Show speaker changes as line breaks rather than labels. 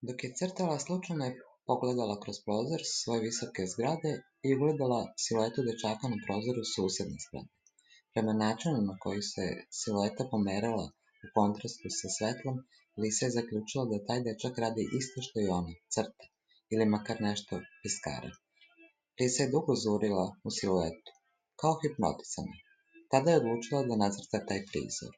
Dok je crtala, slučajno je pogledala kroz prozor svoje visoke zgrade i ugledala siluetu dečaka na prozoru susedne zgrade. Prema načinu na koji se silueta pomerala u kontrastu sa svetlom, Lisa je zaključila da taj dečak radi isto što i ona, crta, ili makar nešto piskara. Lisa je dugo zurila u siluetu, kao hipnotisana. Tada je odlučila da nacrta taj prizor.